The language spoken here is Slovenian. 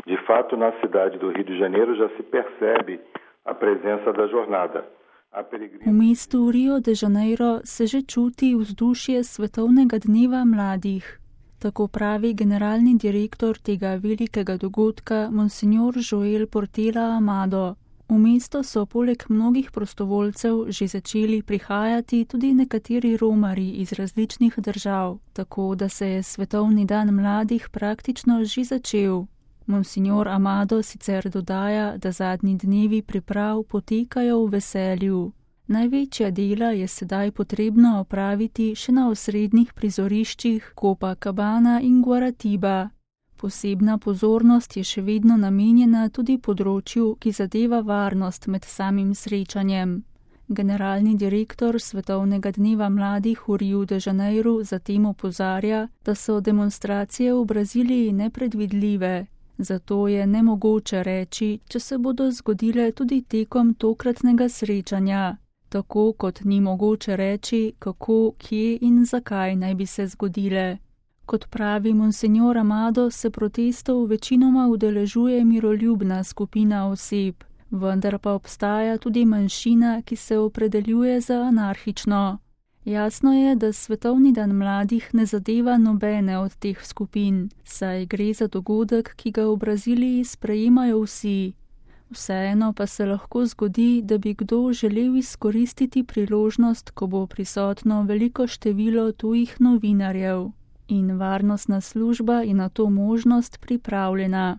De fato, na cidade do Rio de Janeiro já se percebe a presença da jornada. V mestu Rio de Janeiro se že čuti vzdušje svetovnega dneva mladih. Tako pravi generalni direktor tega velikega dogodka, monsignor Joel Portela Amado. V mesto so poleg mnogih prostovoljcev že začeli prihajati tudi nekateri romarji iz različnih držav, tako da se je Svetovni dan mladih praktično že začel. Monsignor Amado sicer dodaja, da zadnji dnevi priprav potekajo v veselju. Največja dela je sedaj potrebno opraviti še na osrednjih prizoriščih Copacabana in Guaratiba. Posebna pozornost je še vedno namenjena tudi področju, ki zadeva varnost med samim srečanjem. Generalni direktor Svetovnega dneva mladih v Riu de Janeiru zatem opozarja, da so demonstracije v Braziliji nepredvidljive. Zato je nemogoče reči, če se bodo zgodile tudi tekom tokratnega srečanja. Tako kot ni mogoče reči, kako, kje in zakaj naj bi se zgodile. Kot pravi monsignor Amado, se protestov večinoma udeležuje miroljubna skupina oseb, vendar pa obstaja tudi manjšina, ki se opredeljuje za anarhično. Jasno je, da Svetovni dan mladih ne zadeva nobene od teh skupin, saj gre za dogodek, ki ga v Braziliji sprejemajo vsi. Vseeno pa se lahko zgodi, da bi kdo želel izkoristiti priložnost, ko bo prisotno veliko število tujih novinarjev. In varnostna služba je na to možnost pripravljena.